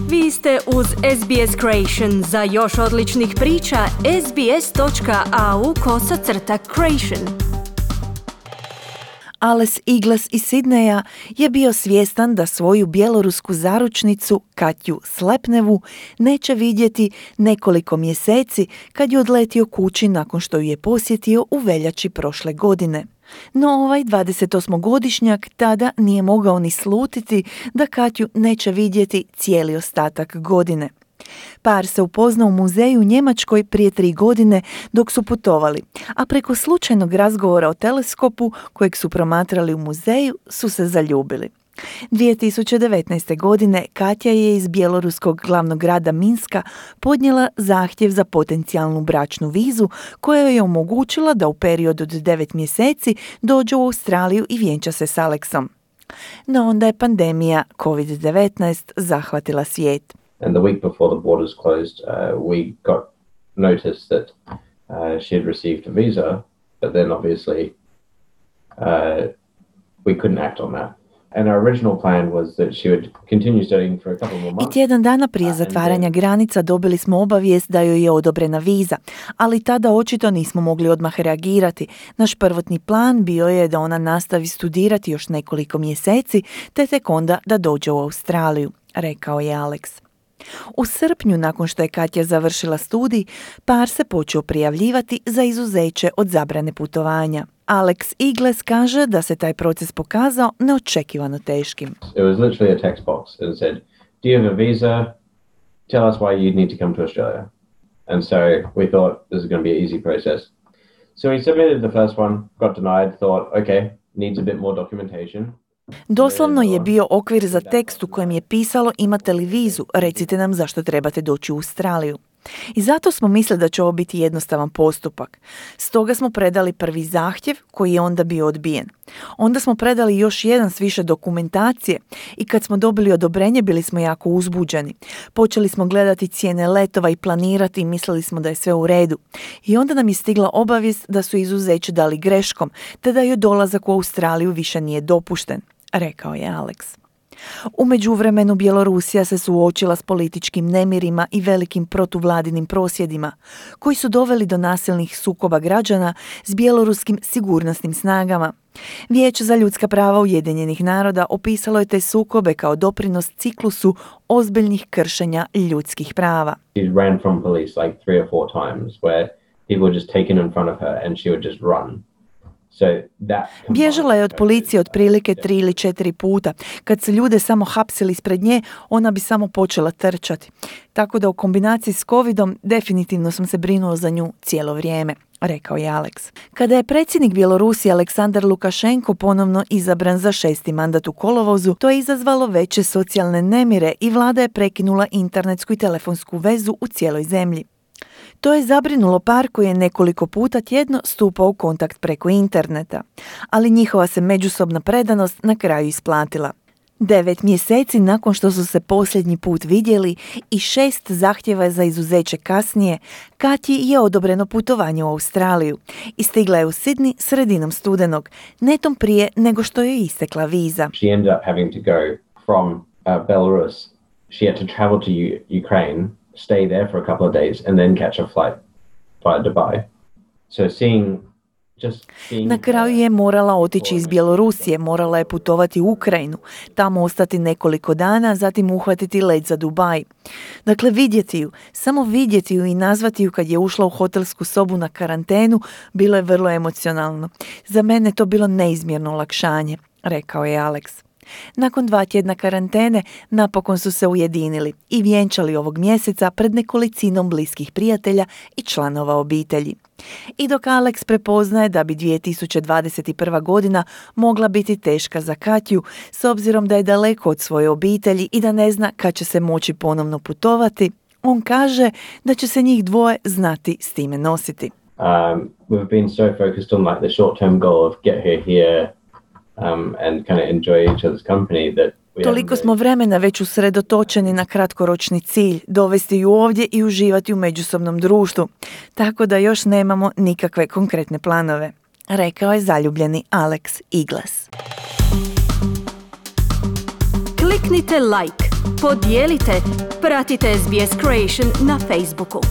Vi ste uz SBS Creation. Za još odličnih priča, sbs.au/creation. Ales Igles iz Sidneja je bio svjestan da svoju bjelorusku zaručnicu Katju Slepnevu neće vidjeti nekoliko mjeseci kad je odletio kući nakon što ju je posjetio u veljači prošle godine. No ovaj 28-godišnjak tada nije mogao ni slutiti da Katju neće vidjeti cijeli ostatak godine. Par se upoznao u muzeju u Njemačkoj prije 3 godine dok su putovali, a preko slučajnog razgovora o teleskopu kojeg su promatrali u muzeju su se zaljubili. 2019. godine Katja je iz bjeloruskog glavnog grada Minska podnijela zahtjev za potencijalnu bračnu vizu koja joj je omogućila da u periodu od 9 mjeseci dođe u Australiju i vjenča se s Aleksom. No onda je pandemija COVID-19 zahvatila svijet. And the week before the borders closed, we got notice that she had received a visa, but then obviously we couldn't act on that. And our original plan was that she would continue studying for a couple more months. I tjedan dana prije zatvaranja granica dobili smo obavijest da joj je odobrena viza, ali tada očito nismo mogli odmah reagirati. Naš prvotni plan bio je da ona nastavi studirati još nekoliko mjeseci, te tek onda da dođe u Australiju, rekao je Aleks. U srpnju, nakon što je Katja završila studij, par se počeo prijavljivati za izuzeće od zabrane putovanja. Alex Igles kaže da se taj proces pokazao neočekivano teškim. It was literally a text box. It said, do you have a visa? Tell us why you need to come to Australia. And so we thought this is going to be an easy process. So we submitted the first one, got denied, thought, okay, needs a bit more documentation. Doslovno je bio okvir za tekst u kojem je pisalo imate li vizu, recite nam zašto trebate doći u Australiju. I zato smo mislili da će ovo biti jednostavan postupak. Stoga smo predali prvi zahtjev koji je onda bio odbijen. Onda smo predali još jedan s više dokumentacije i kad smo dobili odobrenje bili smo jako uzbuđeni. Počeli smo gledati cijene letova i planirati i mislili smo da je sve u redu. I onda nam je stigla obavijest da su izuzeće dali greškom, te da joj dolazak u Australiju više nije dopušten, rekao je Aleks. U međuvremenu Bjelorusija se suočila s političkim nemirima i velikim protuvladinim prosvjedima, koji su doveli do nasilnih sukoba građana s bjeloruskim sigurnosnim snagama. Vijeće za ljudska prava Ujedinjenih naroda opisalo je te sukobe kao doprinos ciklusu ozbiljnih kršenja ljudskih prava. She ran from police like 3 or 4 times where people were just taken in front of her and she would just run. Bježala je od policije otprilike 3 ili 4 puta. Kad se ljude samo hapsili ispred nje, ona bi samo počela trčati. Tako da u kombinaciji s covidom definitivno sam se brinuo za nju cijelo vrijeme, rekao je Aleks. Kada je predsjednik Bjelorusije Aleksandar Lukašenko ponovno izabran za 6. mandat u kolovozu, to je izazvalo veće socijalne nemire i vlada je prekinula internetsku i telefonsku vezu u cijeloj zemlji. To je zabrinulo par koji je nekoliko puta tjedno stupao u kontakt preko interneta, ali njihova se međusobna predanost na kraju isplatila. 9 mjeseci nakon što su se posljednji put vidjeli i 6 zahtjeva za izuzeće kasnije, Katji je odobreno putovanje u Australiju i stigla je u Sydney sredinom studenog, netom prije nego što joj istekla viza. She ended up having to go from Belarus. She had to travel to Ukraine, stay there for a couple of days and then catch a flight via Dubai. So seeing Na kraju je morala otići iz Bjelorusije, morala je putovati u Ukrajinu, tamo ostati nekoliko dana, zatim uhvatiti let za Dubaj. Dakle, vidjeti ju, samo vidjeti ju i nazvati ju kad je ušla u hotelsku sobu na karantenu, bilo je vrlo emocionalno. Za mene to bilo neizmjerno olakšanje, rekao je Aleks. Nakon 2 tjedna karantene napokon su se ujedinili i vjenčali ovog mjeseca pred nekolicinom bliskih prijatelja i članova obitelji. I dok Aleks prepoznaje da bi 2021. godina mogla biti teška za Katju, s obzirom da je daleko od svoje obitelji i da ne zna kad će se moći ponovno putovati, on kaže da će se njih dvoje znati s time nositi. We've been so focused on like the short-term goal of get her here and kind of enjoy each other's company that Toliko smo vremena već usredotočeni na kratkoročni cilj, dovesti ju ovdje i uživati u međusobnom društvu, tako da još nemamo nikakve konkretne planove, rekao je zaljubljeni Alex Igles. Kliknite like, podijelite, pratite SBS Creation na Facebooku.